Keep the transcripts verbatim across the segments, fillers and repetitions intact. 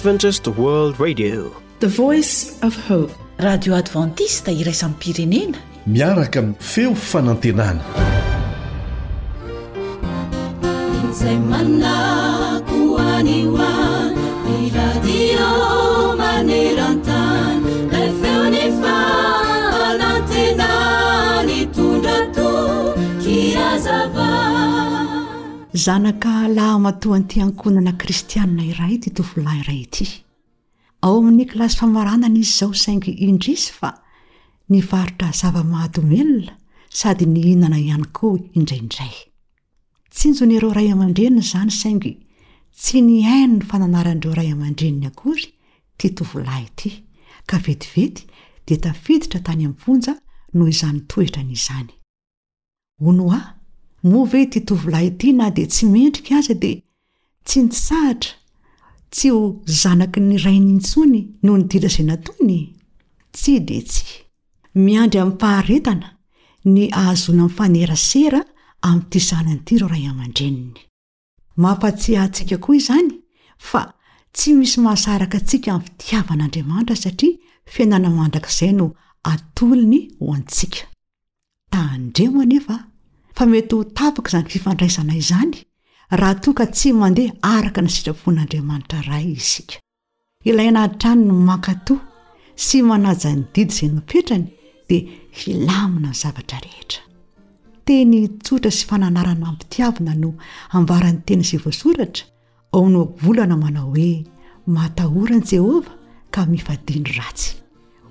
Adventist World Radio, The Voice of Hope. Radio Adventiste iraisam-pirenena. Miaraka amin'ny feo fanantenana. Izay manako any ho any, ny radio maneran-tany, ilay feo ny fanantenana nitondra toky hazava. Zanaka lahimatoan'ity ankohonana kristianina iray ity tovolahy iray ity. Ao amin'ny kilasy famaranana izy izao, saingy indrisy fa nivarotra zava-mahadomelina sady nihinana ihany koa indraindray. Tsinjon'ireo ray aman-dreniny izany, saingy tsy nihaino ny fananaran'ireo ray aman-dreniny akory ity tovolahy ity, ka vetivety dia tafiditra tany am-ponja noho izany toetrany izany. Hono aho, moa ve ity tovolahy ity na dia tsy mendrika aza dia tsy nitsahatra tsy ho zanaky ny rainy intsony noho ny ditra izay nataony? Tsia dia tsia. Miandry amim-paharetana ny ahazoana mifanerasera amin'ity zanany ity ireo ray aman-dreniny. Mampatsiahy antsika koa izany fa tsy misy mahasaraka antsika amin'ny fitiavan'Andriamanitra, satria fiainana mandrakizay no atolony ho antsika. Tandremo anefa fa mety ho tapaka izany fifandraisana izany raha toa ka tsy mandeha araka ny sitrapon'Andriamanitra Ray isika. Ilaina hatrany ny mankatò sy manaja ny didy izay napetrany dia hilamina ny zavatra rehetra. Teny tsotra sy fananarana am-pitiavana no ambaran'ny teny izay voasoratra ao amin'ny ohabolana manao hoe matahora an'i Jehovah ka mifadia ny ratsy.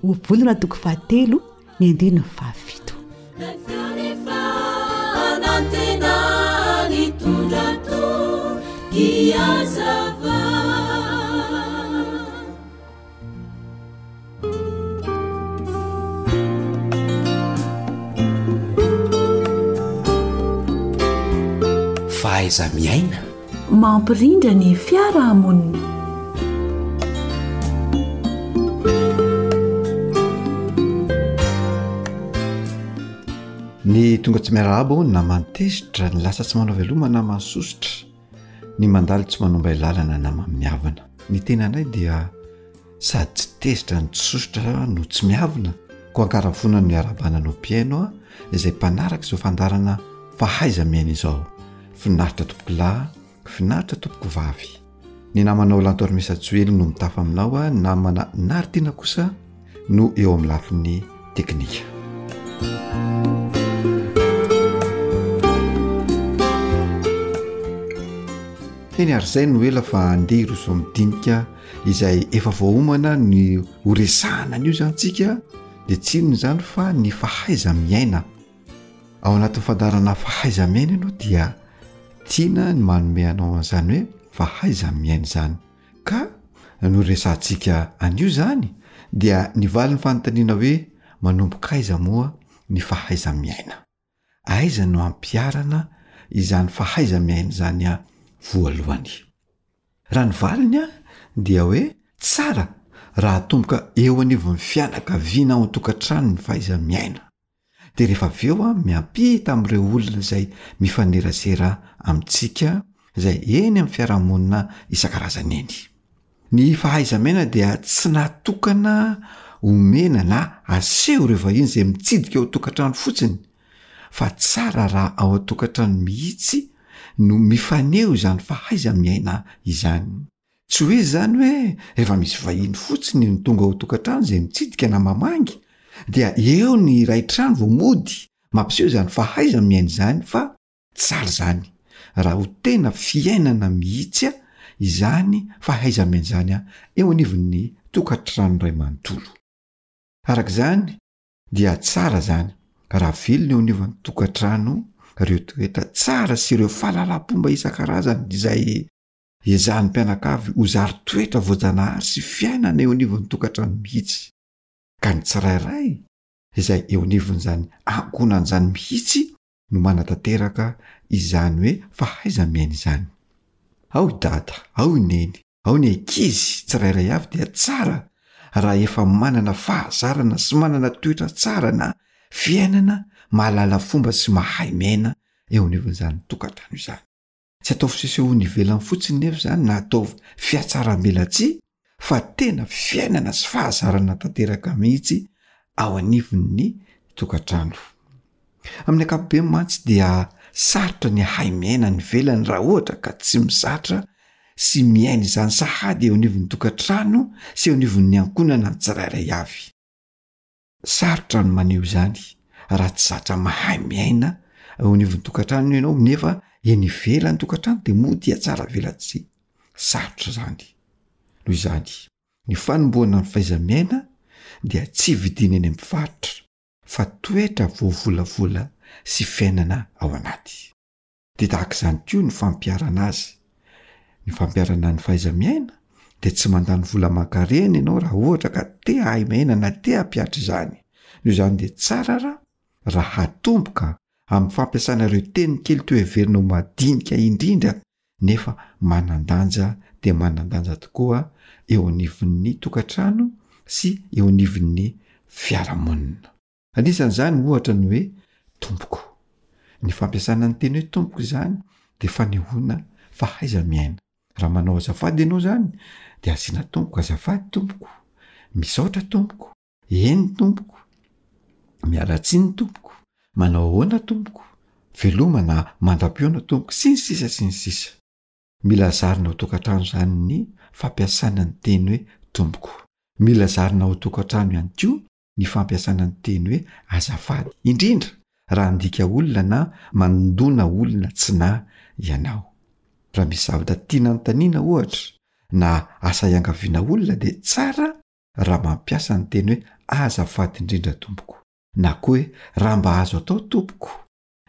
Ohabolana toko fahatelo ny andininy fahafito. Ilay feo ny fanantenana nitondra toky hazava. Fahaiza-miaina. Mampirindra ny fiarahamonina. Ny tonga tsy miarahaba hono naman'ny tezitra, ny lasa tsy manao veloma naman'ny sosotra, ny mandalo tsy manombay lalana naman'ny miavona. Ny tenanay dia sady tsy tezitra no tsy sosotra no tsy miavona, koa ankaravoana no iarahabana anao mpihaino a, izay mpanaraka izao fandaharana fahaiza-miaina izao. Finaritra tompoko lahy, finaritra tompoko vavy. Ny namanao Lanto Armisa Joely no mitafa aminao a, ny namana Naritina kosa no eo amin'ny lafiny teknika. Eny ary izay no ela fa andeha hiroso amin'ny dinika izay efa voaomana ny ho resahana an'io izany tsika, dia tsy inona izany fa ny fahaiza-miaina. Ao anatin'ny fandaharana fahaiza-miaina ianao dia tiana ny manome anao an'izany hoe fahaiza-miaina izany. Ka no resahantsika an'io izany dia ny valin'ny fanontaniana hoe manomboka aiza moa ny fahaiza-miaina? Aiza no ampiharana izany fahaiza-miaina izany a voalohany? Raha ny valiny a dia hoe tsara raha atomboka eo anivon'ny fianakaviana ao an-tokantrano ny fahaiza-miaina. Dia rehefa avy eo a miampita amin'ireo olona izay mifanerasera amintsika izay eny amin'ny fiarahamonina isan-karazany eny. Ny fahaiza-miaina dia tsy natokana omena na aseho ireo vahiny izay mitsidika ao an-tokantrano fotsiny, fa tsara raha ao an-tokantrano mihitsy no mifaneho izany fahaiza-miaina izany. Tsy hoe izany hoe rehefa misy vahiny fotsiny no tonga ao an-tokantrano izay mitsidika na mamangy, dia eo ny iray trano vao mody mampiseho izany fahaiza-miaina izany, fa tsara izany raha ho tena fiainana mihitsy a izany fahaiza-miaina izany a eo anivon'ny tokantrano iray manontolo. Araka izany dia tsara izany raha velona eo anivon'ny tokantrano ireo toetra tsara sy ireo fahalalam-pomba isan-karazany izay ezahan'ny mpianakavy ho zary toetra voajanahary sy fiainana eo anivon'ny tokantrano mihitsy. Ka ny tsirairay izay eo anivon'izany ankohonan'izany mihitsy no manatanteraka izany hoe fahaiza-miaina izany. Ao i dada, ao i neny, ao ny ankizy tsirairay avy dia tsara raha efa manana fahazarana sy manana toetra tsara na fiainana mahalala fomba sy mahay miaina eo anivon'izany tokantrano izany. Tsy atao fisesehoany ivelany fotsiny nefa izany na atao fihatsaram-belatsihy fa tena fiainana sy fahazarana tanteraka mihitsy ao anivon'ny tokantrano. Amin'ny ankapobeny mantsy dia sarotra ny hahay miaina any ivelany raha ohatra ka tsy mizatra sy miaina izany sahady eo anivon'ny tokantrano sy eo anivon'ny ankohonana ny tsirairay avy. Sarotra ny maneho izany raha tsy zatra mahay miaina eo anivon'ny tokantrano ianao nefa eny ivelan'ny tokantrano dia mody hiatsara velatsihy. Sarotra izany. Noho izany, ny fanombohana ny fahaiza-miaina dia tsy vidiana eny amin'ny mpivarotra fa toetra voavolavola sy fiainana ao anaty. Dia tahaka izany koa ny fampiharana azy. Ny fampiharana ny fahaiza-miaina dia tsy mandany vola aman-karena ianao raha ohatra ka te hahay miaina na te hampihatra izany. Noho izany dia tsara raha raha hatomboka amin'ny fampiasana ireo teny kely toa heverina ho madinika indrindra nefa manan-danja dia manan-danja tokoa eo anivon'ny tokantrano sy eo anivon'ny fiarahamonina. Anisan'izany ohatra ny hoe tompoko. Ny fampiasana ny teny hoe tompoko izany dia fanehoana fahaiza-miaina. Raha manao azafady ianao izany dia asiana tompoko, azafady tompoko, misaotra tompoko, eny tompoko, miala tsiny tompoko, manao ahoana tompoko, veloma na mandra-pihaona tompoko, sy ny sisa sy ny sisa. Mila zarina ao tokantrano izany ny fampiasana ny teny hoe tompoko. Mila zarina ao tokantrano ihany koa ny fampiasana ny teny hoe azafady, indrindra raha handika olona na mandona olona tsy nahy ianao. Raha misy zavatra tiana anontaniana ohatra na asa iangaviana olona dia tsara raha mampiasa ny teny hoe azafady indrindra tompoko na koa hoe raha mba azo atao tompoko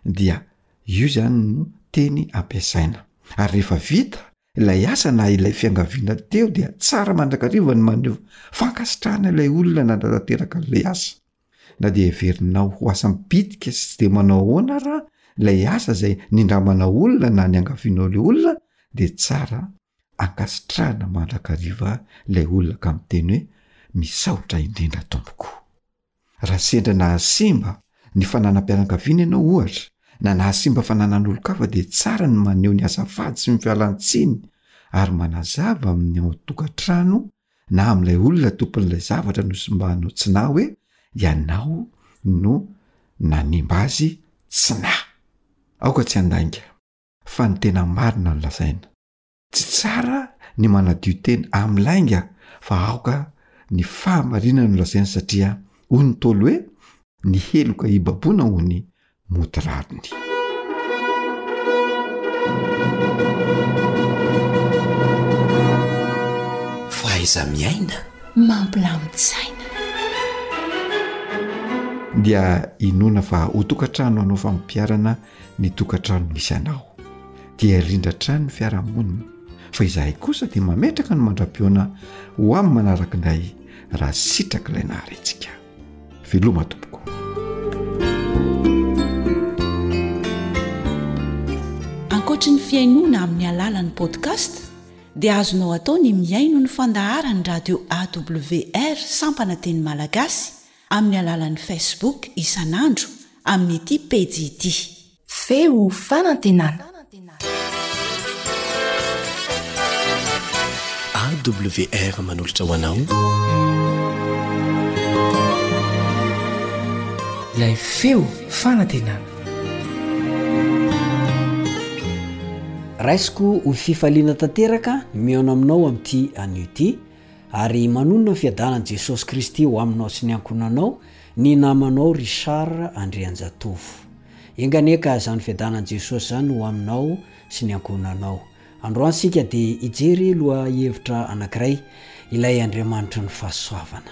dia io izany no teny ampiasaina. Ary rehefa vita ilay asa na ilay fiangaviana teo dia tsara mandrakariva ny maneho fankasitrahana ilay olona nanatanteraka an'ilay asa. Na dia heverinao ho asa mibitika sy tsy dia manao ahoana ara ilay asa izay nindramanao olona na niangavianao ilay olona dia tsara ankasitrahana mandrakariva ilay olona ka miteny hoe misaotra indrindra tompoko. Raha sendra nahasimba ny fananam-pianakaviana ianao ohatra, na nahasimba fananan'olon-kafa dia tsara ny maneho ny azafady sy ny fialan-tsiny ary manazava amin'ny ao an-tokantrano na amin'ilay olona tompon'ilay zavatra nosimbanao tsy nahy hoe ianao no nanimba azy tsy nahy. Aoka tsy handainga fa ny tena marina no lazaina. Tsy tsara ny manadio tena amin'ny lainga fa aoka ny fahamarinana no lazaina satria hoy ny Ntaolo hoe ny heloka hibaboana hono mody rariny. Fahaiza-miaina. Mampilamin-tsaina. Dia inoana fa ho tokantrano hanao fampiharana ny tokantrano misy anao. Dia rindra hatrany ny fiarahamonina fa izahay kosa dia mametraka ny mandra-pihaona ho amin'ny manaraka indray raha sitrak'ilay nahary antsika. Veloma tompoko. Ankoatry ny fihainoana amin'ny alalan'ny podcast dia azonao atao ny mihaino ny fandaharan'ny radio A W R sampana teny malagasy amin'ny alalan'ny Facebook isan'andro amin'ity pejy ity. Feo fanantenana. A W R manolotra ho anao. Ilay feo fanantenana. Raisiko ho fifaliana tanteraka ny mihaona aminao amin'ity anio ity, ary manonona ny fiadanan'i Jesosy Kristy ho aminao sy ny ankohonanao ny namanao Richard Andrianjatovo. Enga anie ka izany fiadanan'i Jesosy izany ho aminao sy ny ankohonanao. Androany isika dia hijery lohahevitra anankiray, ilay Andriamanitry ny fahasoavana.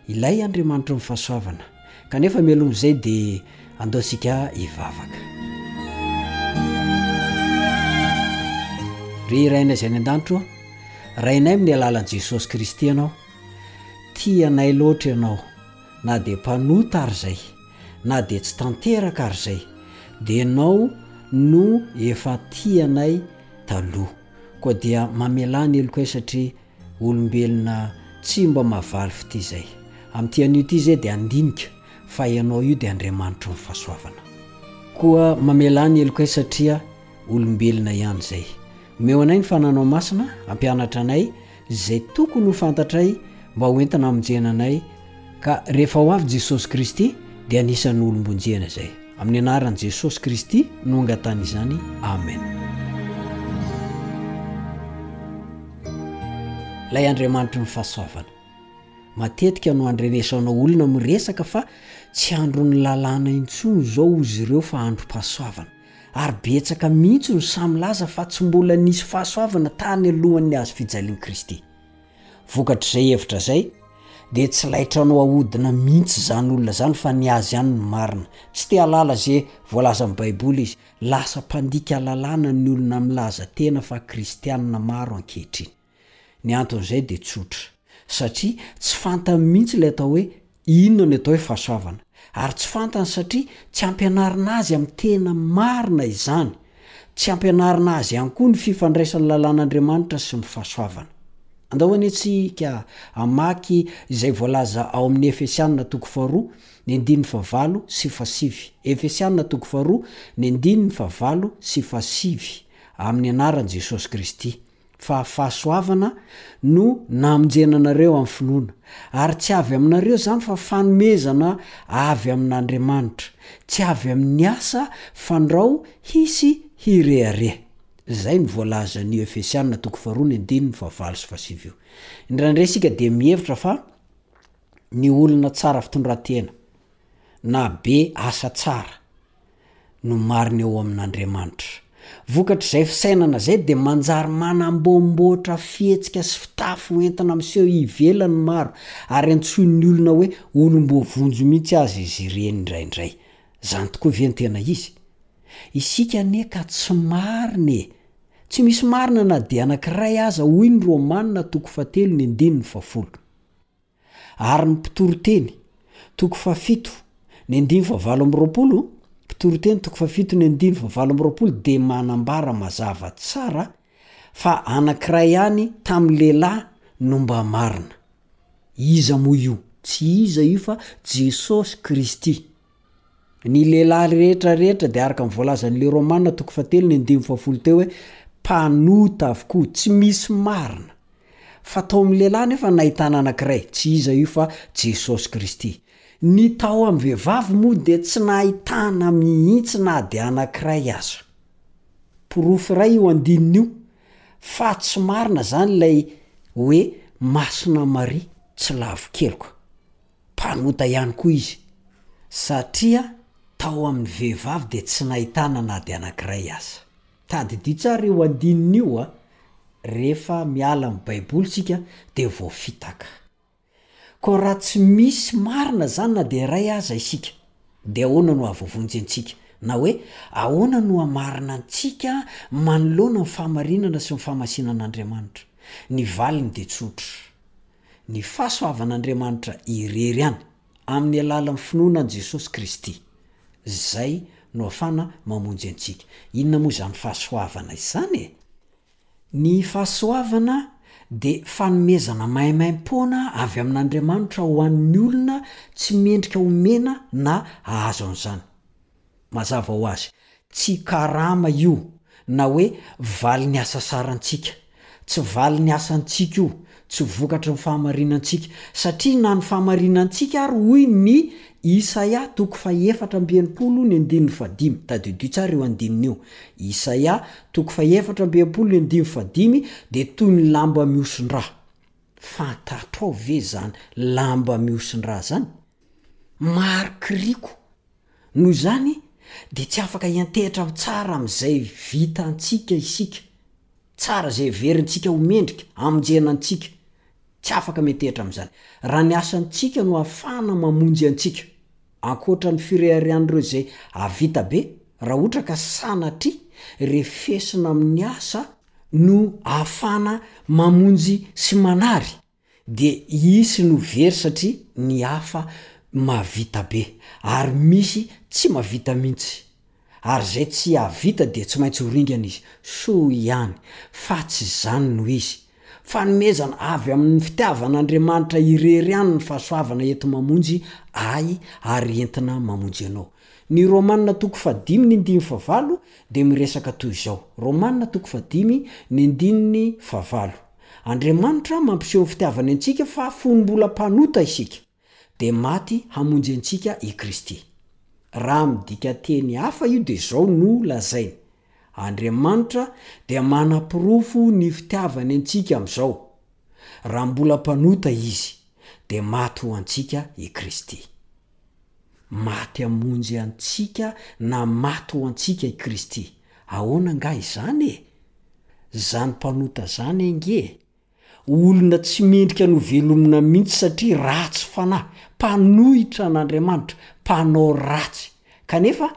Ilay Andriamanitry ny fahasoavana. Kanefa mialoha izay dia andao isika hivavaka. Ry Rainay izay any an-danitra ô, Rainay amin'ny alalan'i Jesosy Kristy Ianao, tia anay loatra Ianao, na dia mpanota ary izay, na dia tsy tanteraka ary izay, dia Ianao no efa tia anay taloha. Koa dia mamelà ny helokay satria olombelona tsy mba mahavaly fitia izay. Amin'ity anio ity izay dia handinika fa Ianao io dia Andriamanitry ny fahasoavana. Koa mamelà ny helokay satria olombelona ihany izay. Omeo anay ny fananao masina, hampianatra anay izay tokony ho fantatray mba ho entina hamonjena anay ka rehefa ho avy Jesosy Kristy dia anisan'ny olom-bonjena izay. Amin'ny anaran'i Jesosy Kristy no angatahana izany. Amen. Ilay Andriamanitry ny fahasoavana. Matetika no andrenesanao olona miresaka fa tsy andron'ny lalàna intsony izao ozy ireo fa androm-pahasoavana. Ary betsaka mihitsy no samy milaza fa tsy mbola nisy fahasoavana tany alohan'ny hazo fijalian'i Kristy. Vokatr'izay hevitra izay dia tsy laitranao ahodina mihitsy izany olona izany fa ny azy ihany no marina. Tsy te hahalala ze voalazan'ny baiboly izy. Lasa mpandika lalàna ny olona milaza tena fa kristianina maro ankehitriny. Ny anton'izay dia tsotra. Satria tsy fantany mihitsy ilay atao hoe inona ny atao hoe fahasoavana. Ary tsy fantany satria tsy ampianarina azy amin'ny tena marina izany. Tsy ampianarina azy ihany koa ny fifandraisan'ny lalàn'Andriamanitra sy ny fahasoavana. Andao anie tsika hamaky izay voalaza ao amin'ny Efesianina toko faharoa, ny andininy fahavalo sy fahasivy. Efesianina toko faharoa, ny andininy fahavalo sy fahasivy, amin'ny anaran'i Jesosy Kristy. Fa fahasoavana no namonjena anareo amin'ny finoana, ary tsy avy aminareo izany fa fanomezana avy amin'Andriamanitra, tsy avy amin'ny asa fandrao hisy hirehareha. Izay no voalazan'io Efesiana toko faharoa ny andininy fahavalo sy fahasivy io. Indraindray isika dia mihevitra fa ny olona tsara fitondran-tena na be asa tsara no marina eo amin'Andriamanitra. Vokatr'izay fisainana izay dia manjary manamboamboatra fihetsika sy fitafy ho entina miseho ivelany maro ary antsoin'ny olona hoe olom-boavonjy mihitsy aza izy ireny indraindray. Izany tokoa ve no tena izy? Isika anie ka tsy marina e! Tsy misy marina na dia anankiray aza hoy ny Romana toko fahatelo ny andininy fahafolo. Ary ny Mpitoriteny, toko fahafito, ny andininy fahavalo amby roapolo, Mpitoriteny toko fahafito ny andininy fahavalo amby roapolo dia manambara mazava tsara fa anankiray ihany tamin'ny lehilahy no mba marina. Iza moa io? Tsy iza io fa Jesosy Kristy. Ny lehilahy rehetra rehetra dia araka ny voalazan'ilay Romana toko fahatelo ny andininy fahafolo teo hoe mpanota avokoa, tsy misy marina. Fa tao amin'ny lehilahy nefa nahitana anankiray, tsy iza io fa Jesosy Kristy. Ny tao amin'ny vehivavy moa dia tsy nahitana mihitsy na dia anankiray aza. Porofo iray io andininy io fa tsy marina izany ilay hoe Masina Maria tsy lavo keloka. Mpanota ihany koa izy, satria tao amin'ny vehivavy dia tsy nahitana na dia anankiray aza. Tadidio tsara io andininy io a! Rehefa miala amin'ny Baiboly isika dia voafitaka. Koa raha tsy misy marina izany na dia iray aza isika, dia ahoana no hahavoavonjy antsika? Na hoe, ahoana no hamarina antsika manoloana ny fahamarinana sy ny fahamasinan'Andriamanitra? Ny valiny dia tsotra. Ny fahasoavan'Andriamanitra irery ihany, amin'ny alalan'ny finoana an'i Jesosy Kristy. Izay no ahafana mamonjy antsika. Inona moa izany fahasoavana izany e? Ny fahasoavana dia fanomezana maimaimpoana avy amin'Andriamanitra ho an'ny olona tsy mendrika homena na hahazo an'izany. Mazava ho azy, tsy karama io na hoe valin'ny hasasarantsika. Tsy valin'ny asantsika io, tsy vokatry ny fahamarinantsika, satria na ny fahamarinantsika ary hoy ny Isaia toko fahefatra amby enimpolo ny andininy fahadimy, tadidio tsara io andininy io, Isaia toko fahefatra amby enimpolo ny andininy fahadimy dia toy ny lamba mihoson-drà. Fantatrao ve izany lamba mihoson-drà izany? Marikoriko. Noho izany dia tsy afaka hiantehitra ho tsara amin'izay vitantsika isika. Tsara izay heverintsika ho mendrika hamonjena antsika. Tsy afaka miantehitra amin'izany. Raha ny asantsika no ahafahana mamonjy antsika. Ankoatra ny fireharehan'ireo izay hahavita be, raha ohatra ka sanatria refesina amin'ny asa no ahafahana mamonjy sy manary, dia hisy no very satria ny hafa mahavita be ary misy tsy mahavita mihitsy ary izay tsy hahavita dia tsy maintsy ho ringana izy, soa ihany fa tsy izany no izy, fanomezana avy amin'ny fitiavan'Andriamanitra irery ihany ny fahasoavana enti-mamonjy ahy ary entina mamonjy anao. Ny Romana toko fahadimy ny andininy fahavalo dia miresaka toy izao, Romana toko fahadimy ny andininy fahavalo, Andriamanitra mampiseho ny fitiavany antsika fa fony mbola mpanota isika, dia maty hamonjy antsika i Kristy. Raha midika teny hafa io dia izao no lazainy, Andriamanitra dia manaporofo ny fitiavany antsika amin'izao, raha mbola mpanota Izy, dia maty ho antsika i Kristy. Maty hamonjy antsika na maty ho antsika i Kristy. Ahoana angaha izany e? Zany mpanota zany ange olona tsy mendrika ny ho velomina mihitsy satria ratsy fanahy, mpanohitra an'Andriamanitra, mpanao ratsy. Kanefa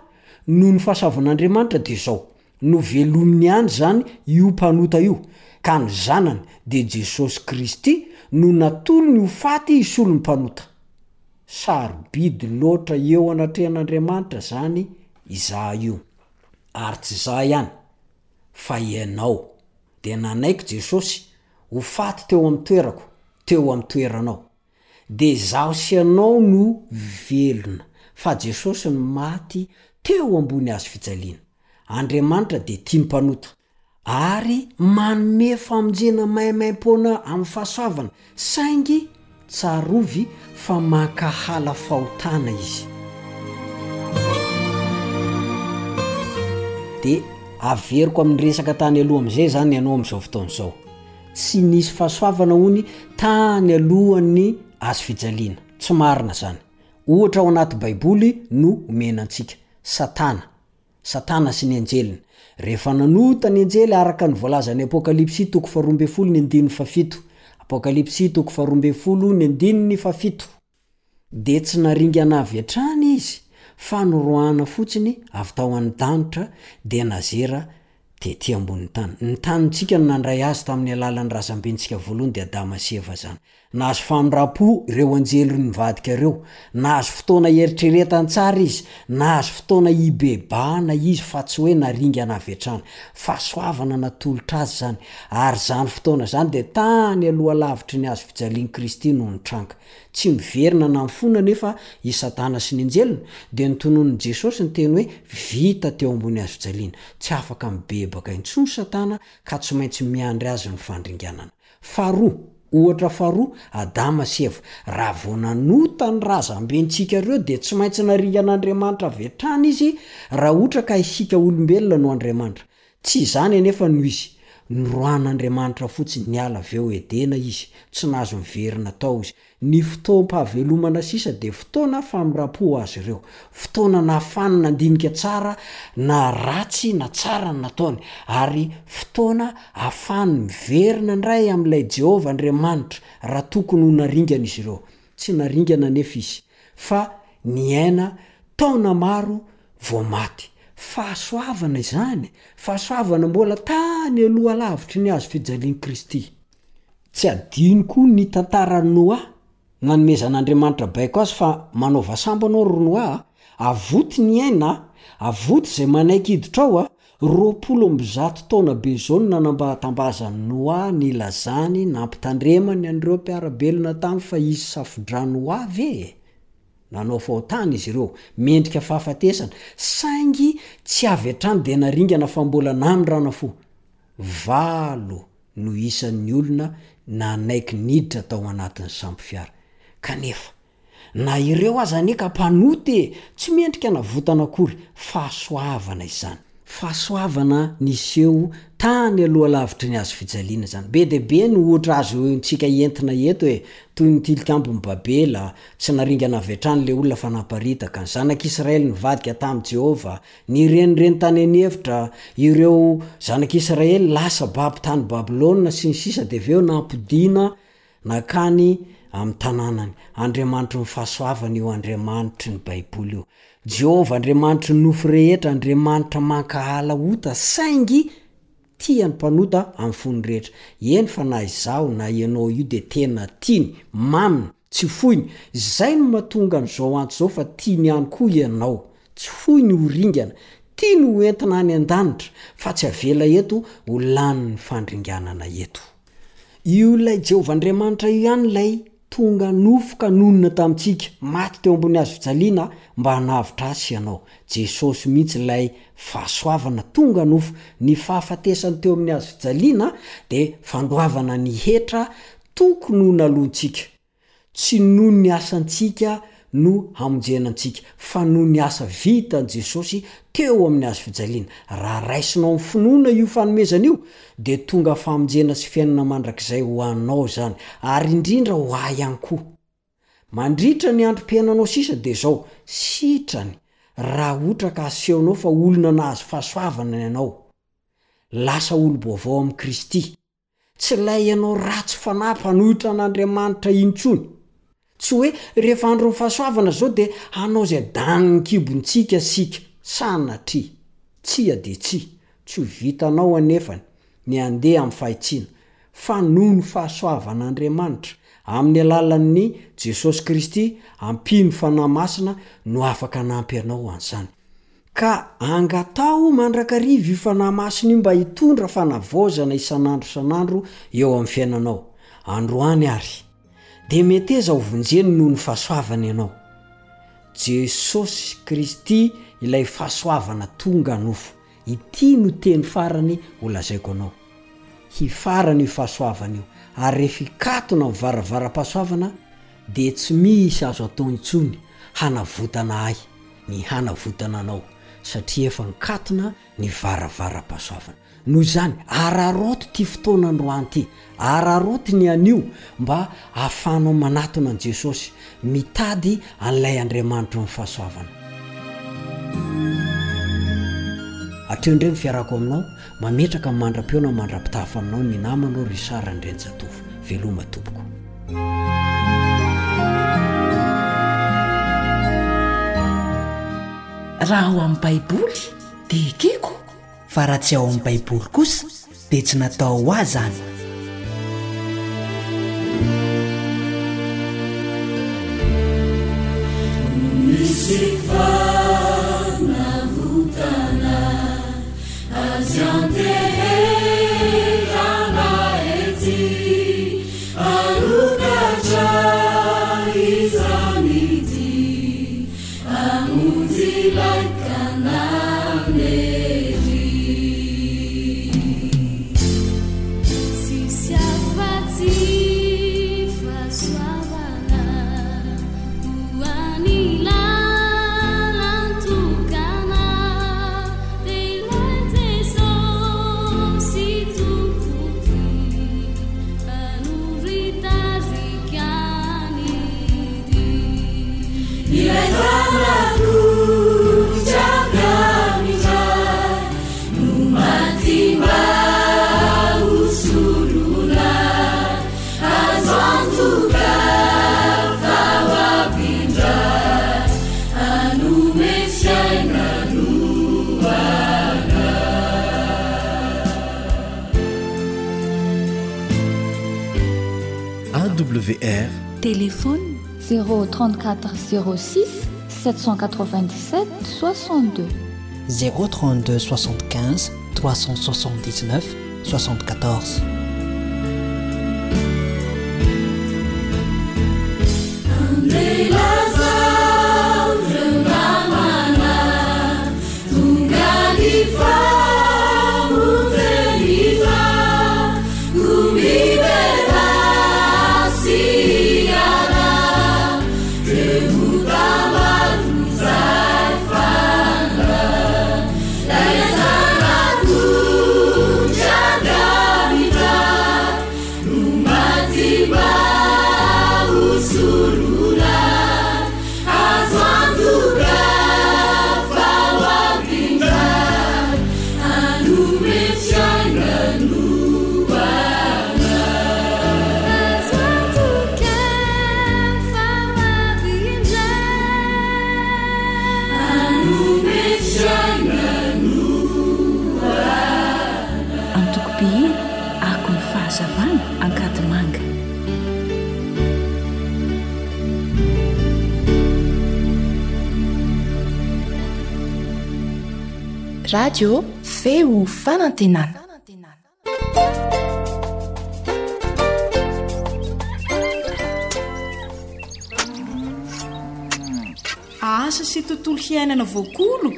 noho ny fahasoavan'Andriamanitra dia izao, novelominy ihany izany io mpanota io, ka ny Zanany, dia Jesosy Kristy, no natolony ho faty hisolo ny mpanota. Sarobidy loatra eo anatrehan'Andriamanitra izany izaho io. Ary tsy izaho ihany, fa ianao. Dia nanaiky Jesosy ho faty teo amin'ny toerako, teo amin'ny toeranao. Dia izaho sy ianao no velona, fa Jesosy no maty teo ambony hazo fijaliana. Andriamanitra dia tia ny mpanota, ary manome famonjena maimaimpoana amin'ny fahasoavana, saingy tsarovy fa mankahala fahotana Izy. Dia averiko amin'ny resaka tany aloha amin'izay izany ianao amin'izao fotoana izao. Tsy nisy fahasoavana hony tany alohan'ny hazo fijaliana. Tsy marina izany. Ohatra ao anaty Baiboly no omena antsika. Satana. Satana sy ny anjeliny. Rehefa nanota ny anjely araka ny voalazan'ny Apokalypsy toko faharoa ambin'ny folo ny andininy fahafito. Apokalypsy toko faharoa ambin'ny folo ny andininy fahafito. Dia tsy naringana avy hatrany izy fa noroahana fotsiny avy tao an-danitra dia nazera tety ambonin'ny tany. Ny tanintsika no nandray azy tamin'ny alalan'ny razambentsika voalohany dia Adama sy Eva izany. Nahazo famindram-po ireo anjely nivadika ireo. Nahazo fotoana hieritreretany tsara izy. Nahazo fotoana hibebahana izy fa tsy hoe naringana avy hatrany. Fahasoavana natolotra azy izany. Ary izany fotoana izany dia tany aloha lavitry ny hazo fijalian'i Kristy no nitranga. Tsy miverina na mifona anefa i Satana sy ny anjeliny, dia notononin'i Jesosy ny teny hoe vita teo ambony hazo fijaliana. Tsy afaka mibebaka intsony Satana ka tsy maintsy miandry azy ny fandringanana. Faharoa, ohatra faharoa, Adama sy Eva. Raha vao nanota ny razambentsika ireo dia tsy maintsy naringan'Andriamanitra avy hatrany izy raha ohatra ka isika olombelona no Andriamanitra. Tsy izany anefa no izy. Noroahan'Andriamanitra fotsiny niala avy eo Edena izy, tsy nahazo niverina tao izy. Ny fotoam-pahavelomana sisa dia fotoana famindram-po ho azy ireo. Fotoana nahafahany nandinika tsara na ratsy na tsara ny nataony, ary fotoana ahafahany miverina indray amin'ilay Jehovah Andriamanitra raha tokony ho naringana izy ireo. Tsy naringana anefa izy, fa niaina taona maro vao maty. Fahasoavana izany, fahasoavana mbola tany aloha lavitry ny hazo fijalian'i Kristy. Tsy adino koa ny tantaran'i Noa, nanomezan'Andriamanitra baiko azy fa manaova sambo anao ry Noa a, avoty ny aina a, avoty izay manaiky hiditra ao a, roapolo amby zato taona be izao no nanambatambazan'i Noa nilazany nampitandremany an'ireo mpiara-belona taminy fa hisy safodrano ho avy e! Nanao fahotana izy ireo, mendrika fahafatesana, saingy tsy avy hatrany dia naringana fa mbola namindrana fo. Valo no isan'ny olona nanaiky niditra tao anatin'ny sambo fiara. Kanefa, na ireo aza anie ka mpanota e! Tsy mendrika navotana akory. Fahasoavana izany. Fahasoavana niseho tany aloha lavitry ny hazo fijaliana izany. Be dia be ny ohatra azontsika entina eto e! Toy ny tilikambon'i Babela, tsy naringana avy hatrany ilay olona fa naparitaka. Ny zanak'Israely nivadika tamin'i Jehovah, Nirenireny tany an'efitra ireo zanak'Israely lasa babo tany Babylona sy ny sisa dia avy eo nampodiana nankany amin'ny tanànany. Andriamanitry ny fahasoavana io Andriamanitry ny Baiboly io. Jehovah Andriamanitry ny nofo rehetra, Andriamanitra mankahala ota saingy tia ny mpanota amin'ny fony rehetra. Eny fa na izaho na ianao io dia tena tiany, maminy, tsy foiny. Izay no mahatonga an'izao antso izao fa tiany ihany koa ianao. Tsy foiny ho ringana, tiany ho entina any an-danitra fa tsy avela eto ho lanin'ny fandringanana eto. Io ilay Jehovah Andriamanitra io ihany ilay Tonga nofo ka nonina tamintsika, maty teo ambony hazo fijaliana mba hanavotra ahy sy ianao. Jesosy mihitsy ilay fahasoavana tonga nofo. Ny fahafatesany teo amin'ny hazo fijaliana dia fandoavana ny hetra tokony ho naloantsika. Tsy noho ny asantsika no hamonjena antsika, fa noho ny asa vitan'i Jesosy teo amin'ny hazo fijaliana. Raha raisinao amin'ny finoana io fanomezana io, dia tonga famonjena sy fiainana mandrakizay ho anao izany, ary indrindra ho ahy ihany koa. Mandritra ny androm-piainanao sisa dia izao, sitrany raha ohatra ka asehonao fa olona nahazo fahasoavana ianao. Lasa olom-baovao amin'i Kristy. Tsy ilay ianao ratsy fanahy mpanohitra an'Andriamanitra intsony. Tsy hoe rehefa andron'ny fahasoavana izao dia hanao izay danin'ny kibontsika isika. Sanatria. Tsia dia tsia. Tsy ho vitanao anefa ny handeha amin'ny fahitsiana, fa noho ny fahasoavan'Andriamanitra, amin'ny alalan'ny Jesosy Kristy, ampian'ny Fanahy Masina no afaka hanampy anao an'izany. Ka angataho mandrakariva io Fanahy Masina io mba hitondra fanavaozana isan'andro isan'andro eo amin'ny fiainanao. Androany àry, dia meteza ho vonjeny noho ny fahasoavany ianao. Jesosy Kristy ilay fahasoavana tonga nofo. Ity no teny farany ho lazaiko anao. Hifarana io fahasoavana io, ary rehefa hikatona ny varavaram-pahasoavana, dia tsy misy azo atao intsony hanavotana ahy ny hanavotana anao, satria efa nikatona ny varavaram-pahasoavana. Noho izany, araraoty ity fotoana androany ity, araraoty ny anio mba hahafahanao manatona an'i Jesosy, mitady an'ilay Andriamanitry ny fahasoavana. Hatreo indray ny fiarahako aminao, mametraka ny mandra-peo na mandra-pitafa aminao ny namanao Richard Andrianjatovo. Veloma tompoko. Raha ao amin'ny Baiboly dia ekeko. Fa raha tsy ao amin'ny Baiboly kosa dia tsy natao ho ahy izany. Misy fanavotana azy anteherana ety hanokatra izany ity hamonjy ilay Kananery. Tsisy afa-tsy fahasoavana ho an'ny lalan-tokana, dia ilay Jesosy Tompo ty hanoritarika ny dia. Ilay Zanak'ondry avy amin'ny Ray no maty mba ho solona, azo antoka fa ho avy indray hanome fiainana ho anay. A W R Téléphone zéro trente-quatre zéro six sept cent quatre-vingt-dix-sept soixante-deux. Zéro trente-deux soixante-quinze trois cent soixante-dix-neuf soixante-quatorze. Antoko-mpihira Akon'ny Fahazavana Ankadimanga. Radio Feo Fanantenana. Asa sy tontolo hiainana voakolo?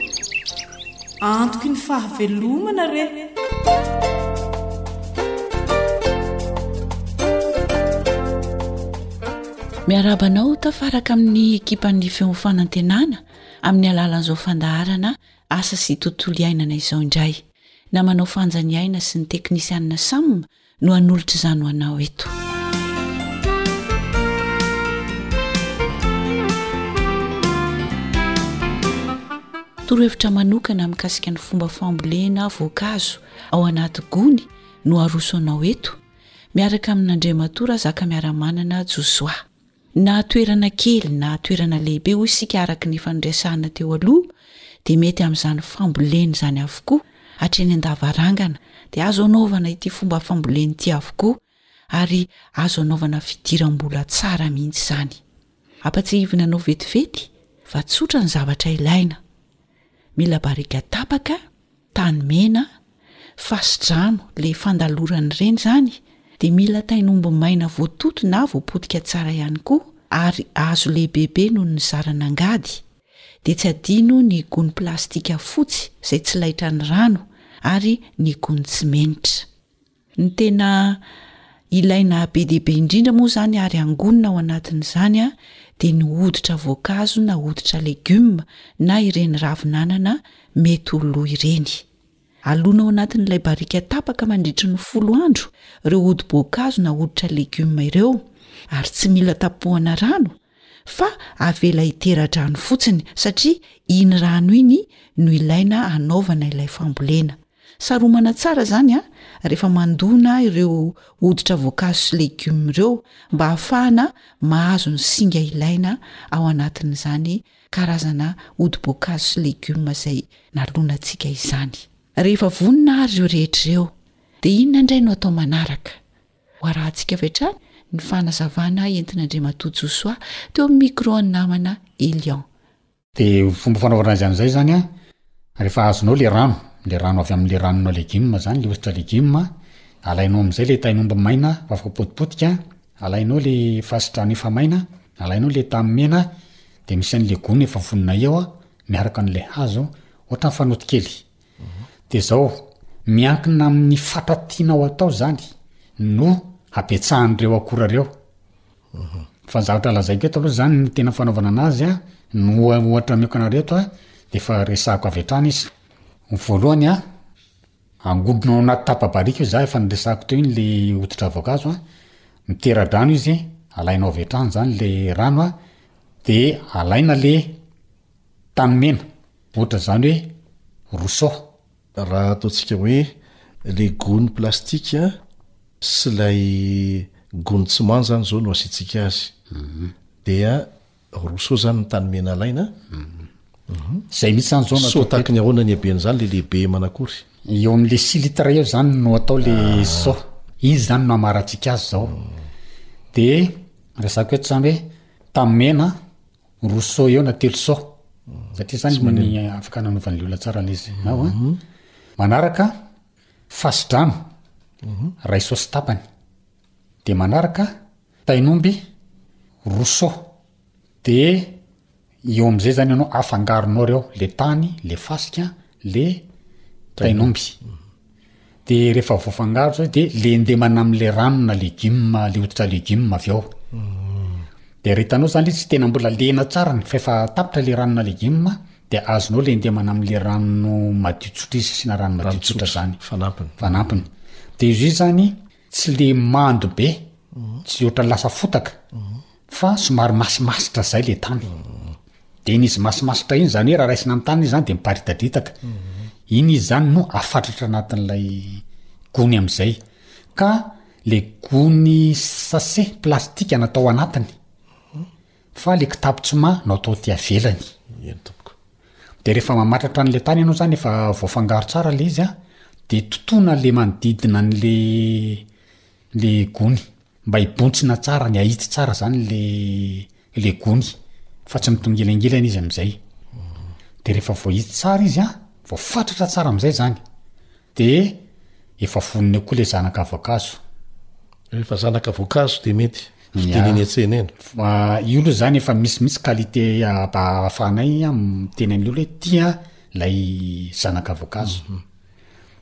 Antoky ny fahavelomana re! Miarahaba anao tafaraka amin'ny ekipan'ny Feon'ny Fanantenana amin'ny alalan'izao fandaharana Asa sy Tontolo Iainana izao indray. Namanao Fanja Niaina sy ny teknisianina Sam no hanolotra izany ho anao eto. Torohevitra manokana mikasika ny fomba fambolena voankazo ao anaty gony no aroso anao eto, miaraka amin'Andriamatoa Razakamiaramanana Josoa. Na toerana kely na toerana lehibe hoy isika araka ny efa noresahana teo aloha dia mety amin'izany fambolena izany avokoa hatreny an-davarangana dia azo anaovana ity fomba fambolena ity avokoa ary azo anaovana fidiram-bola tsara mihitsy izany. Ampatsiahivina anao vetivety fa tsotra ny zavatra ilaina. Mila barika tapaka, tany mena, fasi-drano le fandalorana ireny izany dia mila tain'omby maina voatoto na voapotika tsara ihany koa ary hazo lehibebe noho ny zaran'angady, dia tsy adino ny gony plastika fotsy izay tsy laitran'ny rano ary ny gony tsimenitra. Ny tena ilaina be dia be indrindra moa izany ary angonina ao anatin'izany dia ny hoditra voankazo na hoditra legioma na ireny ravin'anana mety ho lo ireny. Alona ao anatin'ilay barika tapaka mandritry ny folo andro ireo hodi-boankazo na hoditra legioma ireo ary tsy mila tapohana rano fa avela hitera-drano fotsiny satria iny rano iny no ilaina hanaovana ilay fambolena. Saromana tsara izany rehefa mandona ireo hoditra voankazo sy legioma ireo mba hahafahana mahazo ny singa ilaina ao anatin'izany karazana hodi-boankazo sy legioma izay nalonantsika izany. Rehefa vonona ary ireo rehetra ireo dia inona indray no atao manaraka? Ho arahantsika avy hatrany ny fanazavana entin'Andriamatoa Josoa teo amin'ny micro an'ny namana Elion. De fomba fanaovana azy amizay zany an, rehefa azonao le rano, le rano avy amle ranona legioma zany, le hoditra legioma, alainao amizay le tain'omby maina efa voapotipotika, alainao le fasi-drano efa maina, alainao le tany mena, de misy an'le gony efa vonona eo an, miaraka an'le hazo, ohatran'ny fanoto kely. De zao, miankina amin'ny fatra tianao atao zany no habetsahan'ireo akora reo. Fa ny zavatra lazaiko eto aloha zany ny tena fanaovana anazy a, ny oha- ohatra ameko anareo eto a, de efa resahako avy hatrany izy. Ny voalohany a, angodona ao anaty tapa-barika io za efa niresahako teo iny le hoditra voankazo a, mitera-drano izy, alainao avy hatrany zany le rano a, de alaina le tany mena, ohatra zany hoe roseau. Raha ataontsika hoe le gony plastika sy ilay gony tsy manja zany izao no asiantsika azy dia roa seau zany ny tany mena alaina Zay mihitsy zany zao no Seau ataoko tahaky ny ahoana ny haben'izany le lehibe manakory? Eo amin'le six litres eo zany no atao le seau. Izy zany no amarantsika azy zao. De resako eto zany hoe tany mena roa seau eo na telo seau. Satria zany Tsy manino. ny afaka nanovan'le olona tsara le izy. Ao an. Manaraka fasi-drano ray seau sy tapany. De manaraka tain'omby roa seau. De eo am'zay zany ianao afangaronao reo, le tany, le fasika, le tain'omby. De rehefa voafangaro zay de lendemana am'le rano na legioma, le hoditra legioma avy eo. De raha hitanao zany le izy tsy tena mbola lena tsara ny fa efa tapitra le rano na legioma de azonao lendemana am'le rano madio tsotra izy, asiana rano madio Rano tsotra tsotra, zany. fanampiny. Fanampiny. De izy io zany tsy le mando be, tsy ohatran'ny lasa fotaka, fa somary masimasitra zay le tany. De iny izy masimasitra iny zany hoe raha raisina amin'ny tany izy zany de miparitadritaka. Iny izy zany no afatratra anatin'ilay gony am'izay. Ka le gony sachet plastika natao anatiny, fa le kitapo tsima no atao aty avelany. Eny tompoko. De rehefa mamatratra an'le tany ianao zany efa voafangaro tsara le izy a, de totoina le manodidina an'le le gony mba hibontsina tsara, ny ahitsy tsara zany le le gony fa tsy mitongilangilana izy am'izay. De rehefa voahitsy tsara izy a, voafatratra tsara am'izay zany, de efa vonona eo koa le zanaka voankazo. Rehefa zanaka voankazo de mety. Fiteny eny an-tsena eny. Fa io aloha zany efa misy mihitsy qualité ahafahanay miteny an'ilay olona hoe ty an ilay zanaka voankazo.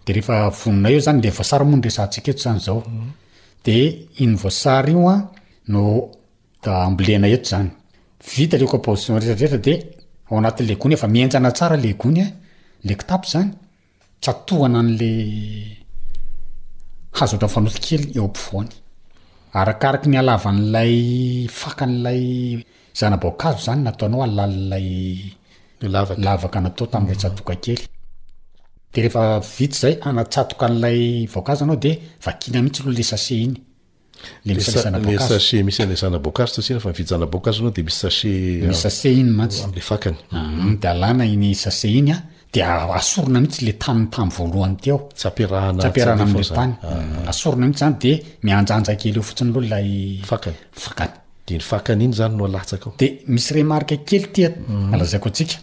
De rehefa vonona eo zany, le voasary moa no resahantsika eto zany zao. De iny voasary io an no ambolena eto zany. Vita le composition rehetra rehetra de ao anatin'le gony efa mihenjana tsara le gony an, le kitapo zany, tsatohana an'le hazo ohatran'ny fanoto kely eo ampovoany. Arakaraky ny halavan'ilay fakan'ilay zana-boankazo zany nataonao halalin'ilay lavaka natao tamin'ilay tsatoka kely. De rehefa vita zay, anatsatoka an'ilay voankazo anao de vakiana mihitsy aloha le sachet iny. Le misy Le an'ilay zana-boankazo. sachet misy an'ilay zana-boankazo tsy asiana fa mividy zana-boankazo anao de misy sachet Misy sachet iny mantsy. Amin'ilay fakany. Ah, de alana iny sachet iny an, de asorina mihitsy le tany tamy voalohany teo. Tsy ampiarahana Tsy ampiarahana tsy amin'ilay alefa tany. zany. Ah. Asorina mihitsy zany de mihanjanja kely eo fotsiny aloha ilay Fakany. fakany. De iny fakany iny zany no alatsaka ao. De misy remarque kely ty lazaiko antsika.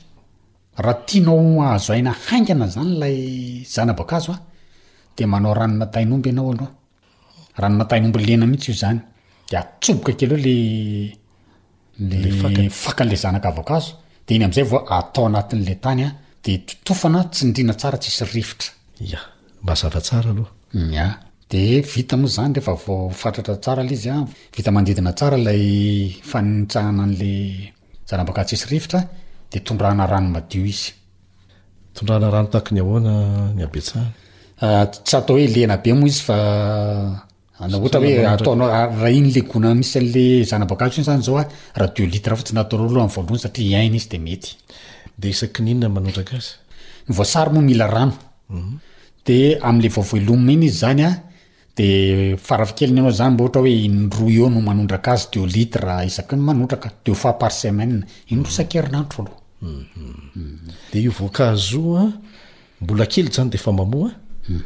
Raha tianao hahazo aina haingana zany ilay zana-boankazo an, de manao ranona tain'omby ianao aloha. Ranona tain'omby lena mihitsy io zany. De atsoboka kely eo le le fakany. fakan'le zanaka voankazo, de iny am'izay vao atao anatin'le tany an, de totofana tsindriana tsara tsisy rivotra. Ya, mazava tsara aloha. Ya, de vita moa zany rehefa voafatratra tsara le izy an, vita manodidina tsara ilay fanitsahana an'le zana-boankazo tsisy rivotra, de tondrahana rano madio izy. Tondrahana rano tahaky ny ahoana ny habetsahany? Ah, tsy atao hoe lena be moa izy fa na ohatra hoe Manondraka. ataonao, raha iny le gona misy an'le zana-boankazo iny zany zao an, raha deux litres fotsiny ataonao aloha amin'ny voalohany satria hiaina izy de mety. De isaky ny inona manondraka azy? Ny voasary moa mila rano. De amin'le vao voelomina iny izy zany an, de farafahakeliny ianao zany mba ohatra hoe indroa eo no manondraka azy, deux litres isaky ny manondraka, deux fois par semaine, indroa isan-kerinandro aloha. De io voankazo io an, mbola kely zany de efa mamoa an,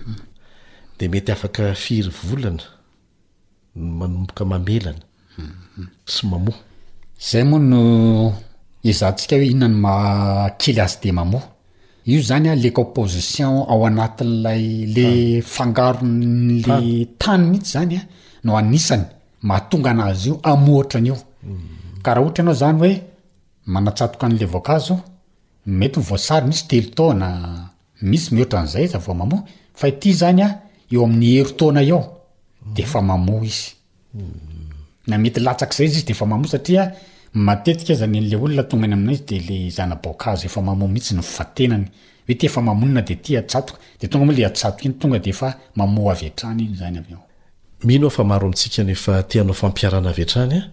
de mety afaka firy volana manomboka mamelana sy mamoa. Zay moa no ezahantsika hoe inona no maha kely azy de mamoa. Io zany an, le composition ao anatin'ilay le fangaron'le tany mihitsy zany an, no anisany mahatonga anazy io hamoa an'io. Ka raha ohatra ianao zany hoe manatsatoka an'le voankazo, mety ny voasary misy telo taona, misy mihoatra an'izay izy vao mamoa, fa ity zany an, eo amin'ny herintaona eo de efa mamoa izy. Na mety latsak'izay izy de efa mamoa satria matetika aza ny an'le olona tonga any aminay izy de le zana-boankazo efa mamoa mihitsy ny fatenany. Hoe ty efa mamonina de ty atsatoka, de tonga moa le atsatoka iny tonga de efa mamoa avy hatrany iny zany avy eo. Mino aho fa maro amintsika no efa te hanao fampiharana avy hatrany an.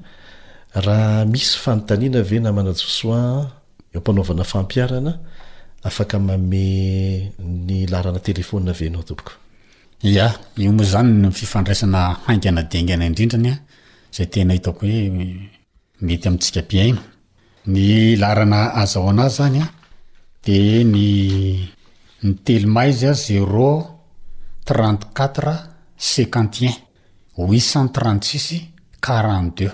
Raha misy fanontaniana ve namana Josoa eo am-panaovana fampiharana, afaka manome ny laharana telefônina ve ianao tompoko? Ya, io moa zany ny fifandraisana haingana dia haingana indrindrany an, izay tena hitako hoe mety amintsika mpihaino. Ny laharana azahoana azy zany an, de ny, ny teloma izy an, zéro trente quatre cinquante et un huit cent trente six quarante deux.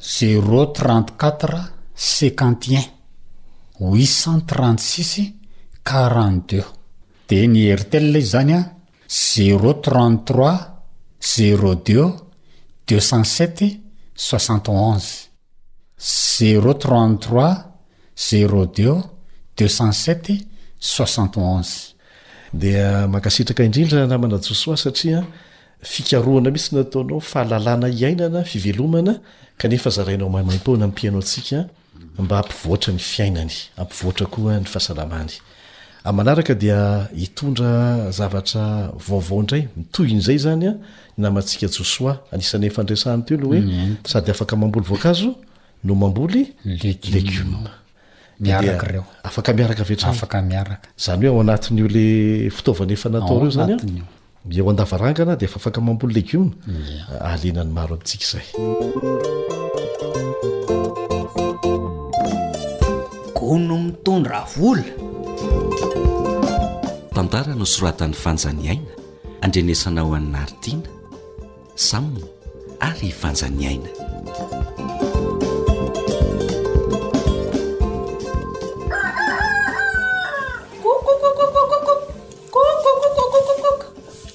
Zéro trente quatre cinquante et un huit cent trente six quarante deux. De ny Airtel izy zany an, zéro trente trois zéro deux deux cent sept soixante onze. Zéro trente trois zéro deux deux cent sept soixante onze. Dia mankasitraka indrindra namana Josoa satria fikarohana mihitsy nataonao, fahalalana iainana, fivelomana, kanefa zarainao maimaimpoana amin'ny mpihaino antsika mba hampivoatra ny fiainany, hampivoatra koa ny fahasalamany. Amin'ny manaraka dia hitondra zavatra vaovao indray, mitohy in'izay zany an, ny namantsika Josoa, anisan'ny efa niresahany teo aloha hoe Mm. sady afaka mamboly voankazo no mamboly Legioma. legioma. Miaraka Dia ireo. Afaka miaraka avy hatrany. Afaka miaraka. Zany hoe ao anatin'io le fitaovana efa natao Ao ireo zany an, anatin'io. eo an-davarangana dia efa afaka mamboly legioma. Ia. Ahalena ny maro amintsika izay. Gono mitondra vola. Tantara nosoratan'i Fanjaniaina, andrenesanao an'i Nartiana, Sam ary Fanjaniaina.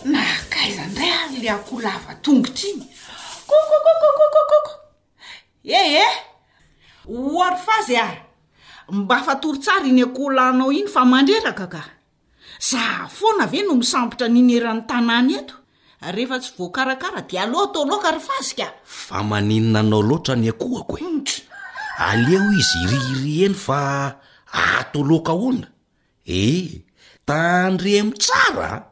Nakaiza indray ary le akoho lava tongotra iny? Kokokokokokokoko. Fazy a! Mba fatory tsara iny akoholanao iny fa mandreraka ka! Za foana ve no misambotra an'iny eran'ny tanàna eto? Rehefa tsy voakarakara dia aleo atao laoka ry Fazy ka! Fa maninona anao loatra ny akohako e? Aleo izy hirihiry eny fa ato laoka ahoana? E! Tandremo tsara a!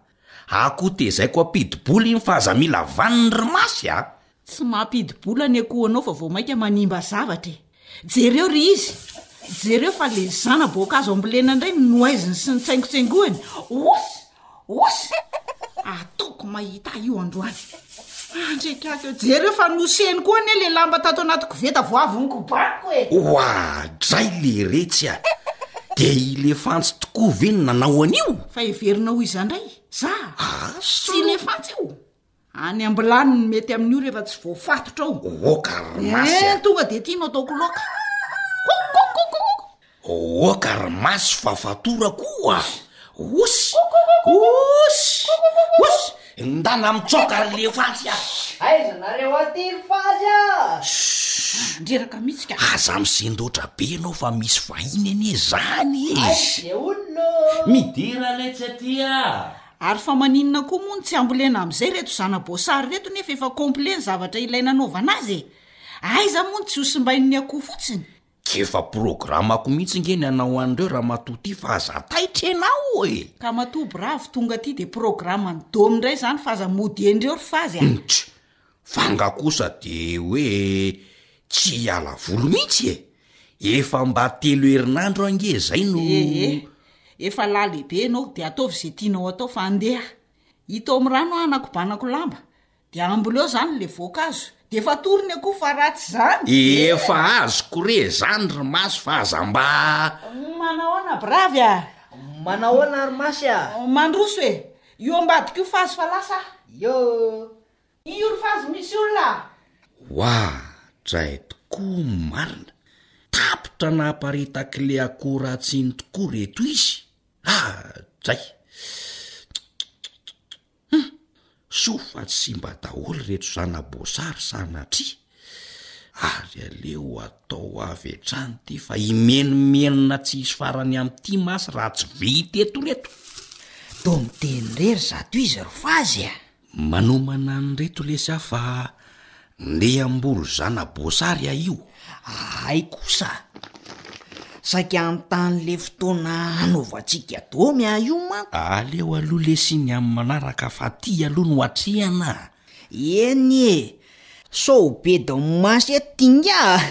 Akoho tezaiko hampidi-bola iny fa aza mila vaniny ry Masy a! Tsy mampidi-bola ny akohonao fa vao mainka manimba zavatra e! Jereo ry izy! Jereo fa le zana-boankazo ambolena indray no nohaiziny sy nitsaingotsaingohany! Osy! Osy! Ataoko mahita ahy io androany! Andriak'aky eo! Jereo fa nosehiny koa anie le lamba tato anaty koveta vao avy nokobaniko e! Oadray leretsy a! Dia i Lefantsy tokoa ve no nanao an'io? Fa heverinao ho iza indray? Za? Tsy i Lefantsy io! Any ambilany no mety amin'io rehefa tsy voafatotra ao. Oka ry masy a! Eh, tonga dia ity no ataoko laoka. Kokokokokoko. Oka ry masy fa fatorako oa! Osy! Osy! Osy! Ndana mitsoaka ry lefantsy a! Aiza nareo aty ry fazy a! Mandreraka mihitsy ka. Aza misendoatra be ianao fa misy vahiny anie zany e! Aiza le olona ô! Midira letsy aty a! Ary fa maninona koa moa no tsy ambolena amin'izay ireto zana-boasary ireto nefa efa complet ny zavatra ilaina anaovana azy e! Aiza moa no tsy ho simbain'ny akoho fotsiny? K'efa programako mihitsy nge ny hanao an'ireo ramatoa ty fa aza taitra ianao e! Ka matoa bravo tonga aty de programan'i Dom indray izany fa aza mody eny ireo ry fazy a! Ntry! Fa nga kosa de hoe tsy hiala voly mihitsy e! Efa mba telo herinandro ange zay no. Ee, efa lahy lehibe ianao de ataovy ze tianao atao fa andeha hita ao amin'ny rano aho hanakobanako lamba de amboleo zany le voankazo de efa atorony akoho fa raha tsy zany de. Efa azoko re zany ry Masy fa aza mba. Manahoana bravy a! Manahoana ry Masy a! Mandroso e! Io ambadika io fazy fa lasa aho. Io. Io ry fazy misy olona a! Oadray tokoa marina! Tapitra namparitak'le akoho ratsy iny tokoa reto izy! Adray! Hum! Soa fa tsy simba daholo reto zana-boasary sanatria! Ary aleo atao avy hatrany ity fa himenomenona tsy hisy farany amin'ity masy raha tsy vita eto reto! Toa miteny irery zato izy ry fazy a! Manomana an'ireto lesy aho fa ndeha hamboly zana-boasary aho io. Hay kosa! Saika hanontany le fotoana hanaovantsika domy aho io manko. Aleo aloha lesy iny amin'ny manaraka fa ty aloha no atrehana a! Eny e! Sao ho be domasy eto ty ingahy a!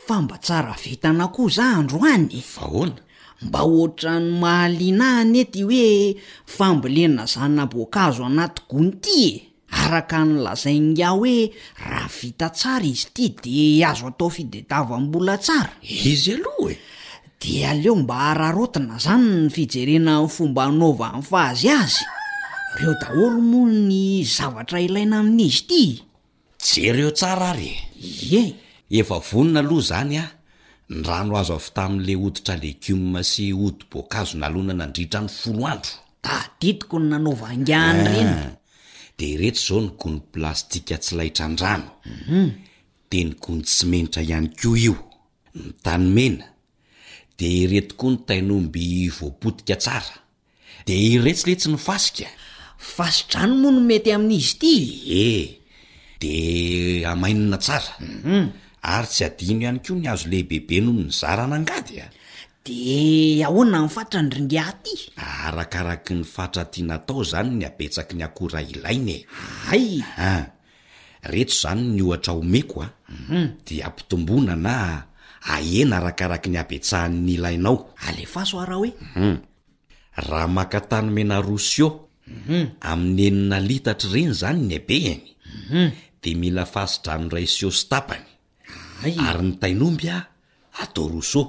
Fa mba tsara vintana koa za androany e! Fa ahoana? Mba ohatran'ny mahaliana ahy anie ty hoe fambolena zana-boankazo anaty gony ty e! Araka ny lazain'ingahy hoe raha vita tsara izy ity de azo atao fitadiavam-bola tsara. Izy aloha e! De aleo mba araraotina zany ny fijerena ny fomba anaovan'i Fazy azy. Reo daholo moa ny zavatra ilaina amin'izy ity e! Jereo tsara ary e! Ie! Efa vonona aloha izany an! Ny rano azo avy tamin'ilay hoditra legioma sy hodi-boankazo nalona nandritra ny folo andro. Tadidiko ny nanaovan'ingahy an'ireny. Ah! Dia ireto izao ny gony plastika tsy laitran-drano. Dia ny gony simenitra ihany koa io. Ny tany mena. Dia ireto koa ny tain'omby voapotika tsara. Dia iretsy letsy ny fasika. Fasi-drano moa no mety amin'izy ity e! Ie, dia hamainina tsara. Ary tsy adino ihany koa ny hazo lehibebe noho ny zarana angady a! Dia ahoana ny fatrany ry ngiahy ty? Arakaraky ny fatra tiana atao izany ny habetsaky ny akora ilaina e! Hay! An! Reto izany ny ohatra omeko a! Dia ampitomboina na ahena arakaraky ny habetsahan'ny ilainao. Alefaso ara hoe. Raha maka tany mena roa sio amin'ny enina litatra ireny izany ny habehany dia mila fasi-drano iray sio sy tapany ary ny tain'omby atao roa sio.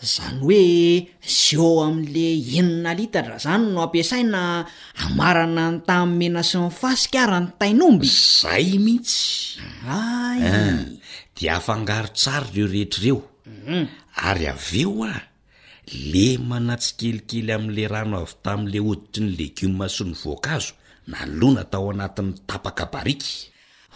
Izany hoe sio amin'le enina litatra izany no ampiasaina hamarana ny tany mena sy ny fasika ary ny tain'omby? Izay mihitsy! Hay! An! Dia afangaro tsara ireo rehetra ireo ary avy eo an! Lemana tsikelikely amin'ilay rano avy tamin'ilay hoditry ny legioma sy ny voankazo nalona tao anatin'ny tapaka bariky.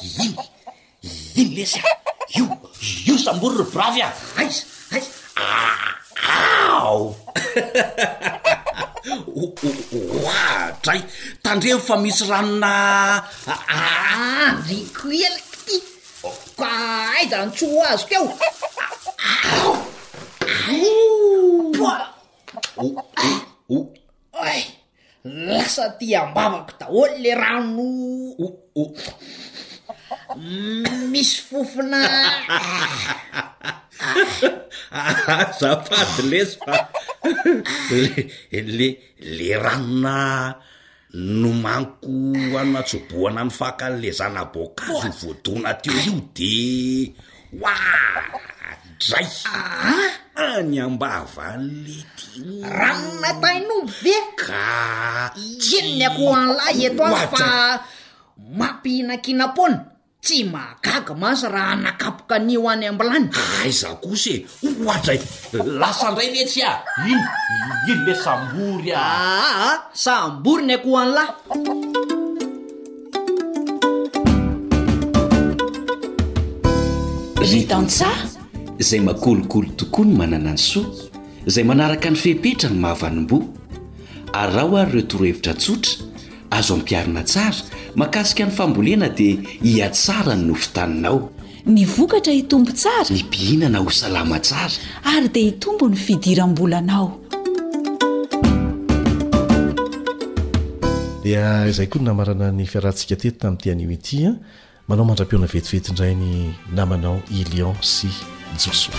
Iny, iny lesy a! Io, io sambory ry bravy a! Aiza, aiza? Ao! Oadray! Tandremo fa misy ranona Andriko ela ty! Ka aiza no tsy ho azoko eo? Ao! Poa! O, o, Oay! Lasa aty am-bavako daholo le rano o, o. Misy fofona Azafady lesy fa le le le ranona nomaniko hanatsobohana ny fakan'le zana-boankazo voadona teo io de oadray! Any am-bavan'le ty o! Ranona tain'omby ve? Ka Inona ny akoho an'lahy eto any fa mampihinankinam-poana? Tsy mahagaga mantsy raha nakapoka an'io any am-bilany. Aiza kosa e! Oadray! Lasa indray letsy a! Iny, iny le sambory a! Aa, sambory ny akoho an'lahy. Ry tantsaha, izay makolikoly tokoa no manana ny soa, izay manaraka ny fepetra no mahavanim-boa. Araho ary ireo torohevitra tsotra, azo ampiharina tsara, mahakasika ny fambolena dia hihatsara ny nofon-taninao. Ny vokatra hitombo tsara. Ny mpihinana ho salama tsara. Ary dia hitombo ny fidiram-bolanao. Dia izay koa no namarana ny fiarahantsika teto tamin'ity anio ity an. Manao mandra-pihaona vetivety indray ny namanao Ilion sy Josoa.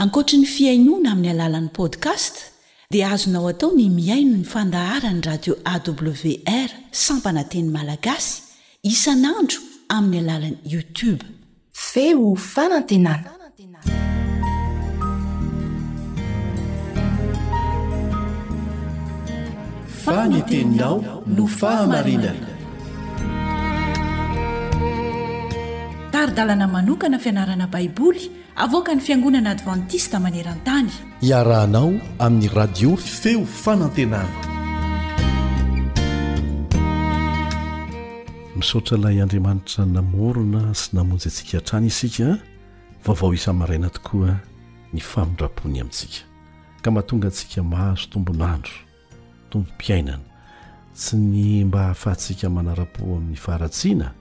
Ankoatry ny fihainoana amin'ny alalan'ny podcast dia azonao atao ny mihaino ny fandaharan'ny radio A W R sampana teny malagasy isan'andro amin'ny alalan'ny YouTube. Feo fanantenana. Fa ny teninao no fahamarinana. Tari-dalana manokana fianarana Baiboly avoakan'ny Fiangonana Advantista maneran-tany. Iarahanao amin'ny radio Feo Fanantenana. Misaotra ilay Andriamanitra namorona sy namonjy antsika hatrany isika. Vaovao isa-maraina tokoa ny famindrampony amintsika, ka mahatonga antsika mahazo tombon'andro, tombom-piainana, tsy ny mba hahafahantsika manara-po amin'ny faharatsiana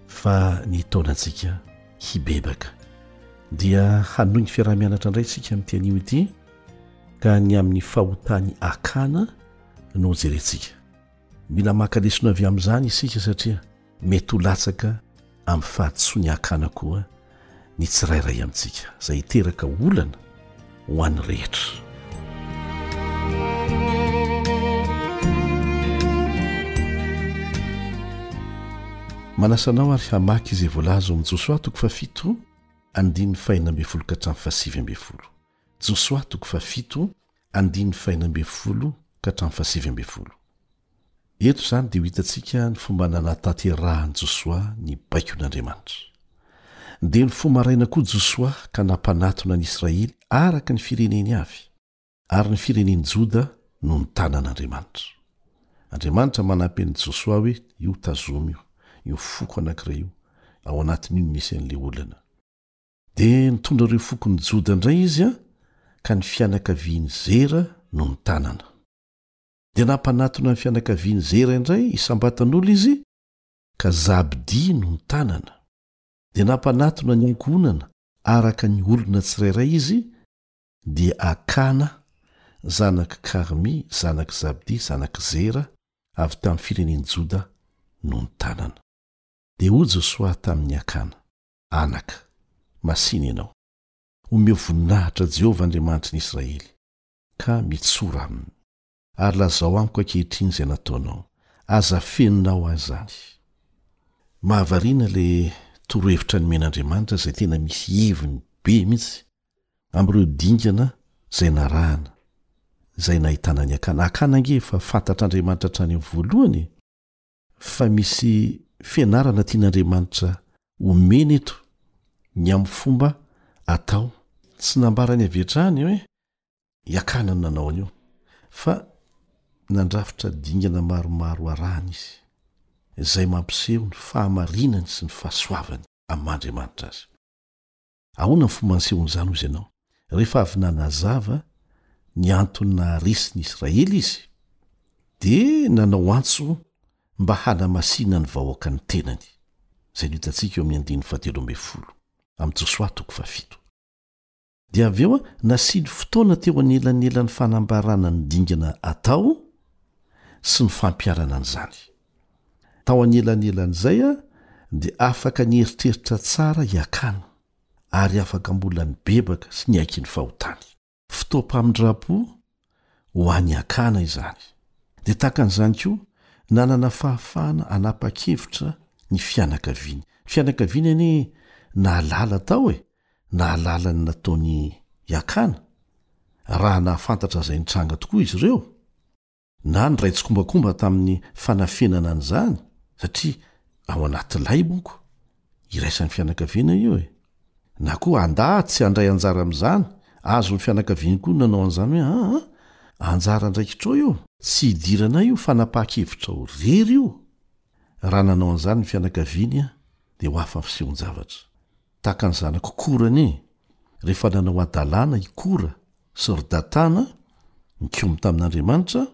fa ny hitaonantsika hibebaka. Dia hanohy ny fiaraha-mianatra indray isika amin'ity anio ity, ka ny amin'ny fahotan'i Akana no hojerentsika. Mila maka lesona avy amin'izany isika satria mety ho latsaka amin'ny fahadisoan'i Akana koa ny tsirairay amintsika, izay hiteraka olana ho an'ny rehetra. Manasa anao ary hamaky izay voalaza ao amin'ny Josoa toko fahafito andininy fahenina ambin'ny folo ka hatramin'ny fahasivy ambin'ny folo. Josoa toko fahafito andininy fahenina ambin'ny folo ka hatramin'ny fahasivy ambin'ny folo. Eto izany dia ho hitantsika ny fomba nanatanterahan'i Josoa ny baikon'Andriamanitra. Dia nifoha maraina koa Josoa ka nampanatona ny Israely araka ny fireneny avy, ary ny firenen'i Joda no notanan'Andriamanitra. Andriamanitra manampy an'i Josoa hoe io tazomy io, io foko anankiray io, ao anatin'io no misy an'ilay olana. Dia nitondra ireo fokon'i Joda indray izy ka ny fianakavian'i Zera no notanana. Dia nampanatona ny fianakavian'i Zera indray isam-batan'olona izy ka Zabdia no notanana. Dia nampanatona ny ankohonana araka ny olona tsirairay izy, dia Akana, zanak'i Karmy, zanak'i Zabdia, zanak'i Zera, avy tamin'ny firenen'i Joda no notanana. Dia hoy Josoa tamin'i Akana, Anaka, masìna ianao, omeo voninahitra Jehovah Andriamanitry ny Israely, ka mitsora aminy. Ary lazao amiko ankehitriny izay nataonao, aza afeninao ahy izany. Mahavariana ilay torohevitra nomen'Andriamanitra izay tena misy heviny be mihitsy amin'ireo dingana izay narahana, izay nahitana ny Akana. Akana ange efa fantatr'Andriamanitra hatrany amin'ny voalohany e! Fa misy fianarana tian'Andriamanitra omena eto ny amin'ny fomba atao. Tsy nambarany avy hatrany hoe i Akana no nanao an'io, fa nandrafitra dingana maromaro arahana izy, izay mampiseho ny fahamarinany sy ny fahasoavany amin'ny maha-Andriamanitra azy. Ahoana ny fomba nisehoan'izany hoy izy ianao? Rehefa avy nanazava ny antony naharesy ny Israely izy, dia nanao antso mba hanamasina ny vahoaka ny tenany, izay no hitantsika eo amin'ny andininy fahatelo ambin'ny folo amin'ny Josoa toko fahafito. Dia avy eo nasiany fotoana teo anelanelan'ny fanambarana ny dingana atao sy ny fampiharana an'izany. Tao anelanelan'izay dia afaka nieritreritra tsara i Akana, ary afaka mbola nibebaka sy niaiky ny fahotany. Fotoam-pamindram-po ho an'i Akana izany. Dia tahaka an'izany koa, nanana fahafahana hanapa-kevitra ny fianakaviany. Ny fianakaviany anie nahalala tao e! Nahalala ny nataon'i Akana, raha nahafantatra izay nitranga tokoa izy ireo, na niray tsikombakomba tamin'ny fanafenana an'izany, satria ao anaty lay monko, iraisan'ny fianakaviana io e! Na koa handà tsy handray anjara amin'izany, azon'ny fianakaviany koa ny nanao an'izany hoe aa, anjara andraikitrao io, tsy idiranay io fanapahan-kevitrao irery io! Raha nanao an'izany ny fianakaviany dia ho hafa ny fisehon-javatra. Tahaka ny zanak'i Kora anie, rehefa nanao hadalana i Kora sy ry Datana, nikomy tamin'Andriamanitra,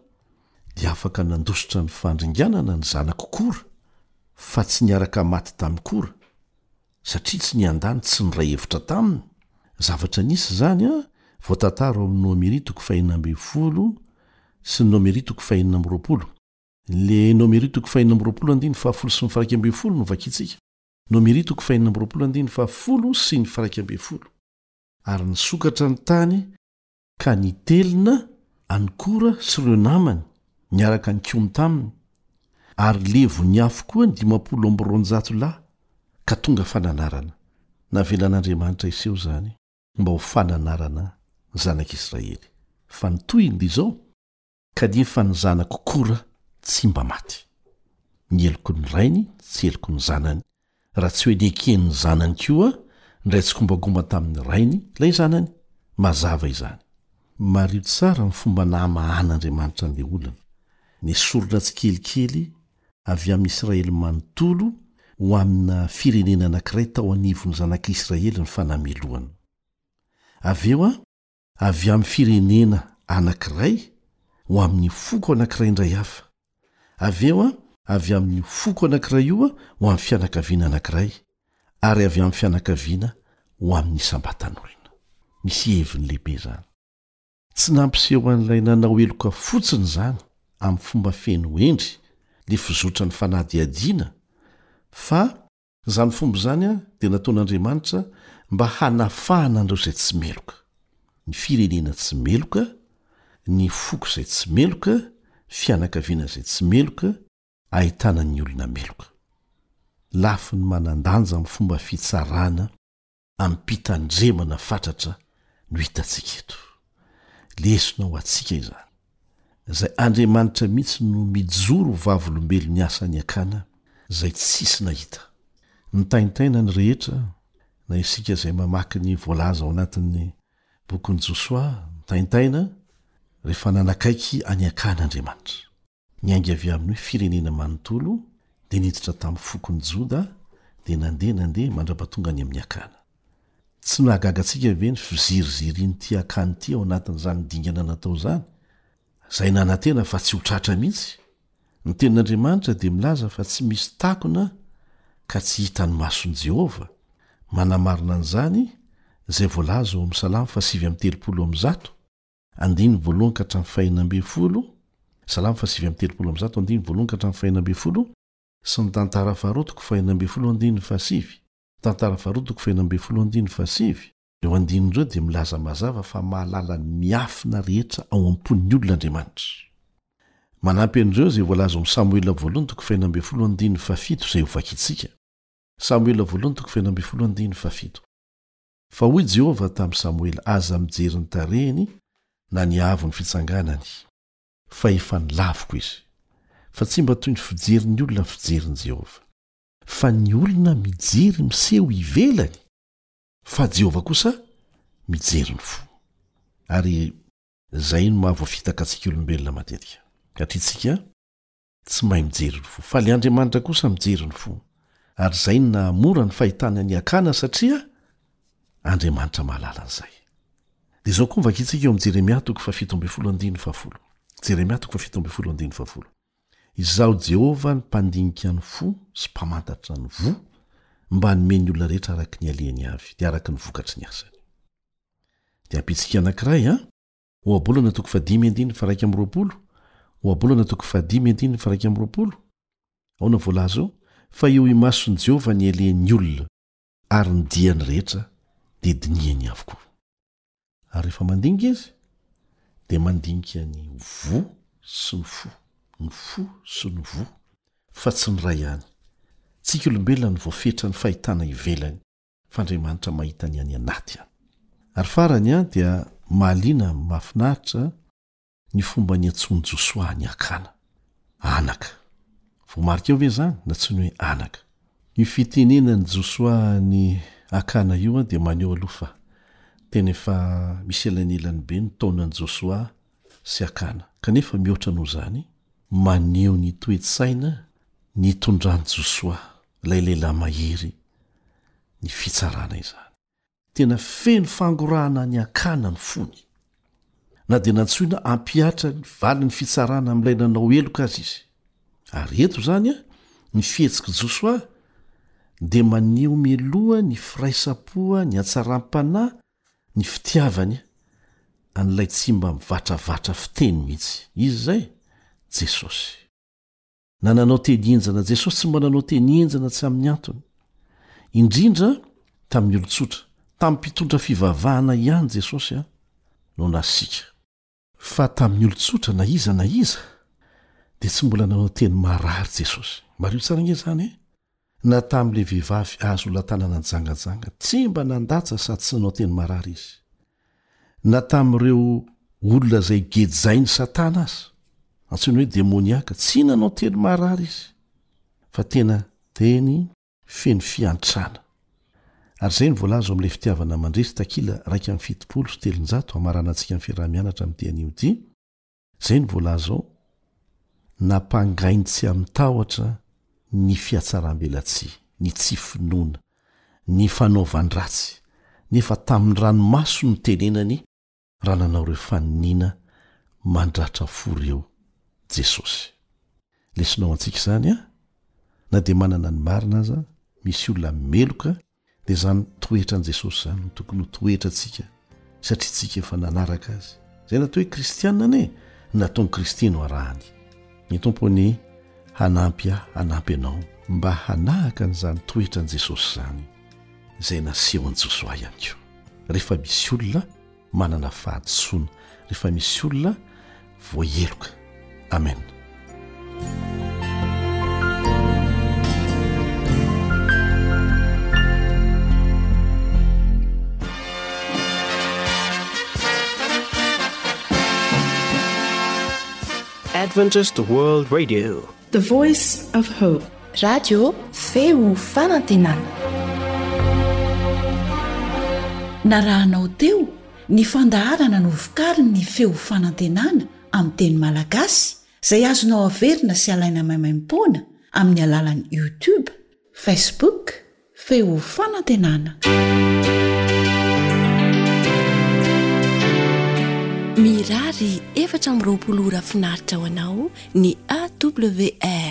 dia afaka nandositra ny fandringanana ny zanak'i Kora, fa tsy niaraka maty tamin'i Kora, satria tsy niandany tsy niray hevitra taminy. Zavatra nisy izany an, voatantara ao amin'ny Nomery toko fahenina ambin'ny folo sy ny Nomery toko fahenina amby roapolo. Le Nomery toko fahenina amby roapolo andininy fahafolo sy ny firaika ambin'ny folo no vakintsika. Nomery toko fahenina amby roapolo andininy fahafolo sy ny firaika ambin'ny folo. Ary nisokatra ny tany ka nitelina an'i Kora sy ireo namany niaraka nikomy taminy, ary levon'ny afo koa ny dimampolo amby roanjato lahy, ka tonga fananarana. Navelan'Andriamanitra hiseho izany mba ho fananarana ny zanak'Israely. Fa ny tohiny dia izao, Kanefa ny zanak'i Kora tsy mba maty. Ny heloky ny rainy tsy heloky ny zanany, raha tsy hoe neken'ny zanany koa niray tsikombakomba tamin'ny rainy ilay zanany. Mazava izany. Mariho tsara ny fomba namahan'Andriamanitra an'ilay olana. Nesorina tsikelikely avy amin'i Israely manontolo ho amina firenena anankiray tao anivon'ny zanak'Israely ny fanamelohana. Avy eo, avy amin'ny firenena anankiray ho amin'ny foko anankiray indray hafa, avy eo avy amin'io foko anankiray io ho amin'ny fianakaviana anankiray, ary avy amin'ny fianakaviana ho amin'ny isam-batan'olona. Misy heviny lehibe izany. Tsy nampiseho an'ilay nanao heloka fotsiny izany amin'ny fomba feno hendry ny fizotran'ny fanadihadiana, fa Izany fomba izany dia nataon'Andriamanitra mba hanafahana an'ireo izay tsy meloka, ny firenena tsy meloka, ny foko izay tsy meloka, fianakaviana izay tsy meloka, ahitana ny olona meloka. Lafiny manan-danja amin'ny fomba fitsarana amim-pitandremana fatratra no hitantsika eto. Lesona ho antsika izany. Izay Andriamanitra mihitsy no mijoro ho vavolombelon'ny asan'i Akana izay tsisy nahita. Nitaintaina ny rehetra, na isika izay mamaky ny voalaza ao anatin'ny bokin'i Josoa, nitaintaina rehefa nanakaiky an'i Akana Andriamanitra. Niainga avy amin'ny hoe firenena manontolo, dia niditra tamin'ny fokon'i Joda, dia nandeha nandeha mandra-pahatonga any amin'ny Akana. Tsy nahagaga antsika ve ny fizirizirian'ity Akana ity ao anatin'izany dingana natao izany, izay nanantena fa tsy ho tratra mihitsy? Ny Tenin'Andriamanitra dia milaza fa tsy misy takona ka tsy hitan'ny mason'i Jehovah. Manamarina an'izany izay voalaza ao amin'ny Salamo fahasivy amby telopolo amby zato, Andininy voalohany ka hatramin'ny fahenina ambin'ny folo, Salamo fahasivy amby telopolo amby zato, andininy voalohany ka hatramin'ny fahenina ambin'ny folo, sy ny Tantara faharoa toko fahenina ambin'ny folo andininy fahasivy, Tantara faharoa toko fahenina ambin'ny folo andininy fahasivy. Ireo andininy ireo dia milaza mazava fa mahalala ny miafina rehetra ao am-pon'ny olona Andriamanitra. Manampy an'ireo izay voalaza ao amin'ny Samoela voalohany toko fahenina ambin'ny folo andininy fahafito izay hovakintsika. Samoela voalohany toko fahenina ambin'ny folo andininy fahafito. Fa hoy Jehovah tamin'i Samoela, Aza mijery ny tarehiny na ny haavon'ny fitsanganany, fa efa nolaviko izy. Fa tsy mba toy ny fijerin'ny olona ny fijerin'i Jehovah. Fa ny olona mijery miseho ivelany, Fa Jehovah kosa mijery ny fo. Ary izay no maha voafitaka antsika olombelona matetika. Satria tsika tsy mahay mijery ny fo. Fa ilay Andriamanitra kosa mijery ny fo. Ary izay no nahamora ny fahitana an'i Akana satria Andriamanitra mahalala an'izay. Dia izao koa no vakintsika eo amin'i Jeremia toko fahafito ambin'ny folo andininy fahafolo. Jeremia toko fahafito ambin'ny folo andininy fahafolo. Izaho Jehovah no mpandinika ny fo sy mpamantatra ny voa, mba hanome ny olona rehetra araka ny alehany avy, dia araka ny vokatry ny asany. Dia ampitsika anankiray an! Ohabolana toko fahadimy andininy faharaika amby roapolo, Ohabolana toko fahadimy andininy faharaika amby roapolo, Ahoana voalaza eo? Fa eo imason'i Jehovah ny alehan'ny olona, ary ny diany rehetra dia dinihany avokoa. Ary rehefa mandinika izy, dia mandinika ny voa sy ny fo, ny fo sy ny voa, fa tsy ny iray ihany. Tsika olombelona no voafetra ny fahitana ivelany, fa Andriamanitra mahita ny any anaty any. Ary farany dia mahaliana, mahafinaritra, ny fomba niantsoan'i Josoa an'i Akana, anaka. Voamarika eo ve izany? Nantsoiny hoe anaka. Io fitenenan'i Josoa an'i Akana io dia maneho aloha fa tena efa misy elanelany be ny taonan'i Josoa sy Akana. Kanefa mihoatra noho izany, maneho ny toe-tsaina nitondran'i Josoa, ilay lehilahy mahery, ny fitsarana izany. Tena feno fangorahana an'i Akana ny fony. Na dia nantsoina hampihatra ny valin'ny fitsarana amin'ilay nanao heloka aza izy. Ary eto izany, ny fihetsik'i Josoa dia maneho mialoha ny firaisam-po, ny hatsaram-panahy, ny fitiavany an'ilay tsy mba mivatravatra fiteny mihitsy. Iza izay? Jesosy. Na nanao teny henjana, Jesosy tsy mba nanao teny henjana tsy amin'ny antony. Indrindra tamin'ny olon-tsotra, tamin'ny mpitondra fivavahana ihany Jesosy no nasiaka. Fa tamin'ny olon-tsotra na iza na iza dia tsy mbola nanao teny marary Jesosy. Mariho tsara ange izany e! Na tamin'ilay vehivavy azo latanana nijangajanga, tsy mba nandatsa sady tsy nanao teny marary izy. Na tamin'ireo olona izay gejain'i Satana aza, antsoiny hoe demoniaka, tsy nanao teny marary izy, fa tena teny feno fiantrana. Ary izay no voalaza ao amin'ilay Fitiavana Mandresy, takila iraika amby fitopolo sy telonjato, hamaranantsika ny fiaraha-mianatra amin'ity anio ity. Izay no voalaza ao, Nampangainy tsy amin-tahotra ny fihatsaram-belatsihy, ny tsy finoana, ny fanaovan-dratsy, nefa tamin'ny ranomaso no nitenenany raha nanao ireo faniniana mandratra fo ireo Jesosy. Lesona ho antsika izany an! Na dia manana ny marina aza, misy olona meloka Dia izany toetran'i Jesosy izany no tokony ho toetrantsika satria tsika efa nanaraka azy. Izay natao hoe kristiana anie, ny nataon'i Kristy no arahany. Ny Tompo anie hanampy ahy hanampy anao mba hanahaka an'izany toetran'i Jesosy izany izay nasehon'i Josoa ihany koa. Rehefa misy olona manana fahadisoana, rehefa misy olona voaheloka. Amen. Adventist World Radio. The Voice of Hope. Radio Feo Fanantenana. Narahanao teo ny fandaharana novokarin'ny Feo Fanantenana amin'ny teny malagasy izay azonao averina sy alaina maimaimpoana amin'ny alalan'ny YouTube, Facebook, Feo Fanantenana. Mirary efatra amby roapolo ora finaritra ho anao ny AWR.